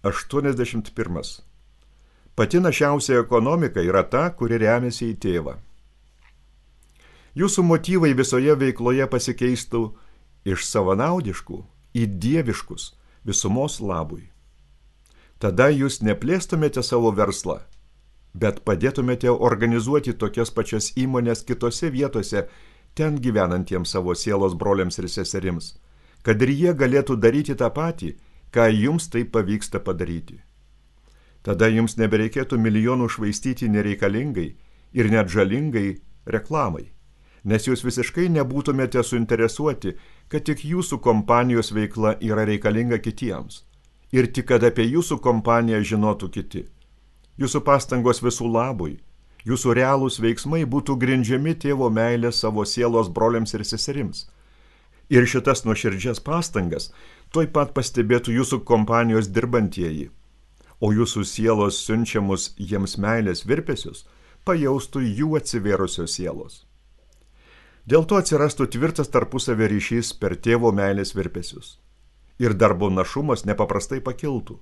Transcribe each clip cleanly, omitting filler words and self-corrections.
81. Pati našiausia ekonomika yra ta, kuri remiasi į tėvą. Jūsų motyvai visoje veikloje pasikeistų iš savanaudiškų į dieviškus visumos labui. Tada jūs neplėstumėte savo verslą, bet padėtumėte organizuoti tokias pačias įmonės kitose vietose, ten gyvenantiems savo sielos broliams ir seserims, kad ir jie galėtų daryti tą patį, ką jums tai pavyksta padaryti. Tada jums nebereikėtų milijonų švaistyti nereikalingai ir net žalingai reklamai, nes jūs visiškai nebūtumėte suinteresuoti, kad tik jūsų kompanijos veikla yra reikalinga kitiems ir tik kad apie jūsų kompaniją žinotų kiti. Jūsų pastangos visų labui, jūsų realūs veiksmai būtų grindžiami tėvo meilė savo sielos broliams ir seserims. Ir šitas nuoširdžias pastangas tuoj pat pastebėtų jūsų kompanijos dirbantieji, o jūsų sielos siunčiamus jiems meilės virpesius pajaustų jų atsivėrusios sielos. Dėl to atsirastų tvirtas tarpusavio ryšys per tėvo meilės virpesius. Ir darbo našumas nepaprastai pakiltų,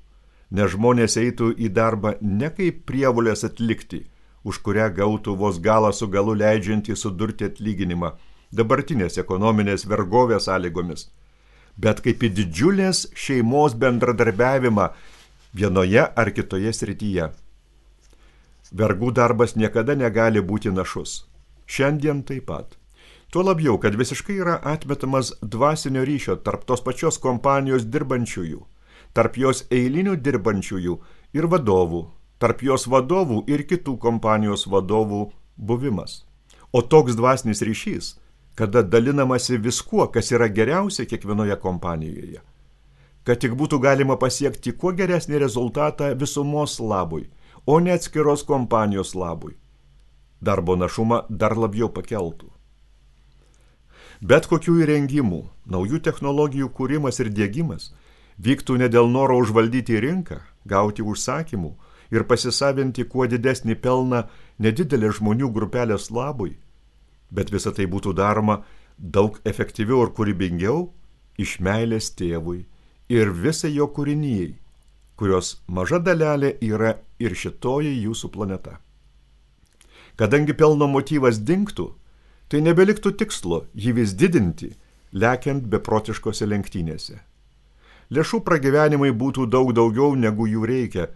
nes žmonės eitų į darbą ne kaip prievolės atlikti, už kurią gautų vos galą su galu leidžiantį sudurti atlyginimą dabartinės ekonominės vergovės sąlygomis, bet kaip į didžiulės šeimos bendradarbiavimą vienoje ar kitoje srityje. Vergų darbas niekada negali būti našus. Šiandien taip pat. Tuo labiau, kad visiškai yra atmetamas dvasinio ryšio tarp tos pačios kompanijos dirbančiųjų, tarp jos eilinių dirbančiųjų ir vadovų, tarp jos vadovų ir kitų kompanijos vadovų buvimas. O toks dvasinis ryšys, kada dalinamasi viskuo, kas yra geriausia kiekvienoje kompanijoje, kad tik būtų galima pasiekti kuo geresnį rezultatą visumos labui, o ne atskiros kompanijos labui. Darbo našumą dar labiau pakeltų. Bet kokių įrengimų, naujų technologijų kūrimas ir diegimas vyktų ne dėl noro užvaldyti rinką, gauti užsakymų ir pasisavinti kuo didesnį pelną nedidelė žmonių grupelės labui, bet visa tai būtų daroma daug efektyviau ir kūrybingiau iš meilės tėvui ir visai jo kūrinijai, kurios maža dalelė yra ir šitoji jūsų planeta. Kadangi pelno motyvas dingtų, tai nebeliktų tikslo jį vis didinti, lekiant beprotiškose lenktynėse. Lėšų pragyvenimai būtų daug daugiau, negu jų reikia,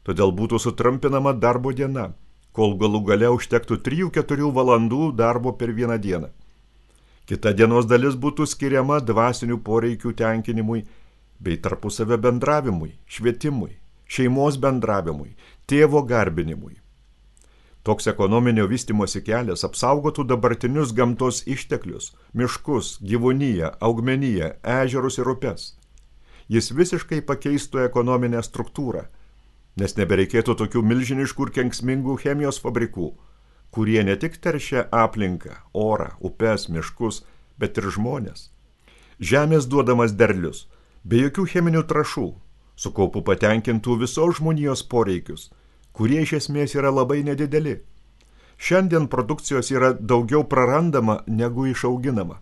todėl būtų sutrumpinama darbo diena, kol galų gale užtektų 3-4 valandų darbo per vieną dieną. Kita dienos dalis būtų skiriama dvasinių poreikių tenkinimui bei tarpusavio bendravimui, švietimui, šeimos bendravimui, tėvo garbinimui. Toks ekonominio vystymosi kelias apsaugotų dabartinius gamtos išteklius, miškus, gyvūniją, augmeniją, ežerus ir upes. Jis visiškai pakeistų ekonominę struktūrą, nes nebereikėtų tokių milžiniškų ir kenksmingų chemijos fabrikų, kurie ne tik teršia aplinką, orą, upes, miškus, bet ir žmonės. Žemės duodamas derlius, be jokių cheminių trąšų, su kaupu patenkintų visos žmonijos poreikius, kurie iš esmės yra labai nedideli. Šiandien produkcijos yra daugiau prarandama negu išauginama.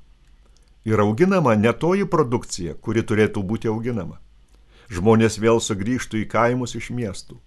Ir auginama ne toji produkcija, kuri turėtų būti auginama. Žmonės vėl sugrįžtų į kaimus iš miestų.